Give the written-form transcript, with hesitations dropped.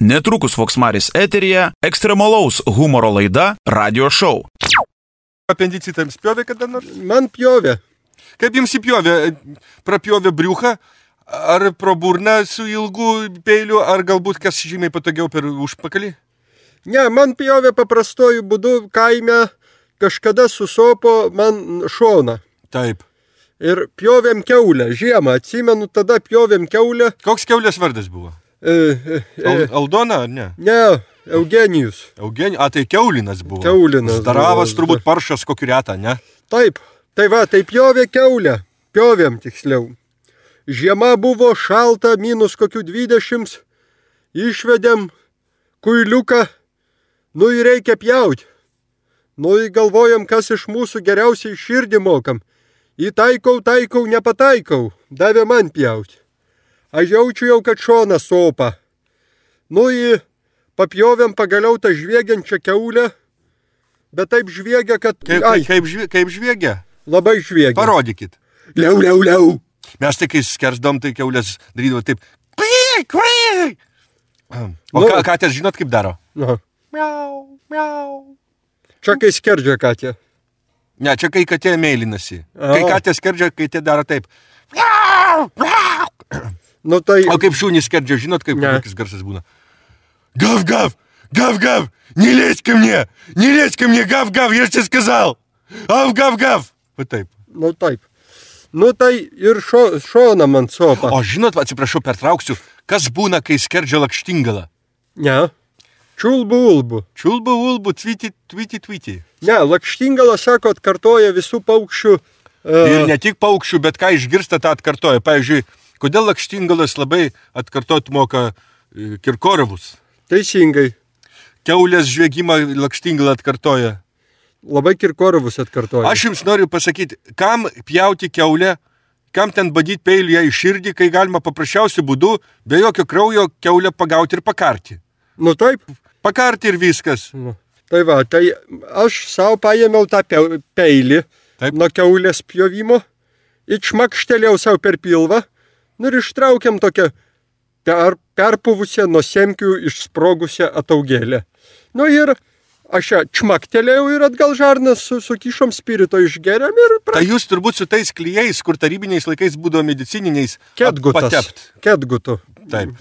Netrukus Voksmaris eteryje ekstremalaus humoro laida Radio Show. Apendicitams pjovė kada nors? Man pjovė. Kaip jums įpjovė? Prapjovė briuchą? Ar pro burną su ilgu peiliu? Ar galbūt kas žymiai patogiau per užpakalį? Ne, man pjovė paprastuoju būdu kaime, kažkada susopo man šoną. Taip. Ir pjovėm kiaulę, žiemą, atsimenu, tada pjovėm kiaulę. Koks kiaulės vardas buvo? Aldona ar ne? Ne, Eugenijus. Tai kiaulinas buvo. Kiaulinas. Zdaravas turbūt paršas kokį retą, ne? Taip, tai pjovė kiaulę, pjovėm tiksliau. Žiema buvo šalta, minus kokių 20, išvedėm kuiliuką, ir reikia pjauti. Galvojam, kas iš mūsų geriausiai širdį mokam. Įtaikau, nepataikau, davė man pjauti. Aš jaučiu jau, kad šonas sopa. Papjovėm pagaliau tą žviegiančią kiaulę, bet taip žviegia, kad... Kaip žviegia? Labai žviegia. Parodykit. Liau. Mes tai, kai skersdom, tai kiaulės darydavo taip. O katės žinot, kaip daro? Miau. Čia kai skerdžia katė. Ne, čia kai katė meilinasi. Kai katė skerdžia, kai tie daro taip. O kaip šunys skerdžia, žinot, kaip kokis garsas būna? Гав-гав! Гав-гав! Не лезь ко мне! Не лезь ко мне! Гав-гав! Я тебе сказал! Гав-гав! Va taip. Taip. Tai ir šona man sopa. O žinot, atsiprašau, pertrauksiu, kas būna, kai skerdžia lakštingalą? Ne. Čiulbu-ulbu. Čiulbu-ulbu, tviti. Ne, lakštingala, sako, atkartoja visų paukščių. Ir ne tik paukščių, bet ką išgirsta, tą atkartoja. Pavyzdžiui, kodėl lakštingalas labai atkartot moka Kirkorovus? Teisingai. Kiaulės žviegimą lakštingalą atkartoja. Labai Kirkorovus atkartoja. Aš jums noriu pasakyti, kam pjauti kiaulę, kam ten badyti peilį į širdį, kai galima paprasčiausiu būdu, be jokio kraujo kiaulę pagauti ir pakarti. Taip. Pakarti ir viskas. Tai aš savo paėmiau tą peilį nuo kiaulės pjovimo, išmakštelėjau savo per pilvą, ir ištraukiam tokią perpuvusią nuo semkių išsprogusią ataugėlę. Ir aš ją čmaktelėjau ir atgal žarnas sukišom spirito išgeriam ir... Tai jūs turbūt su tais klijais, kur tarybiniais laikais būdavo medicininiais Ketgutu. Taip.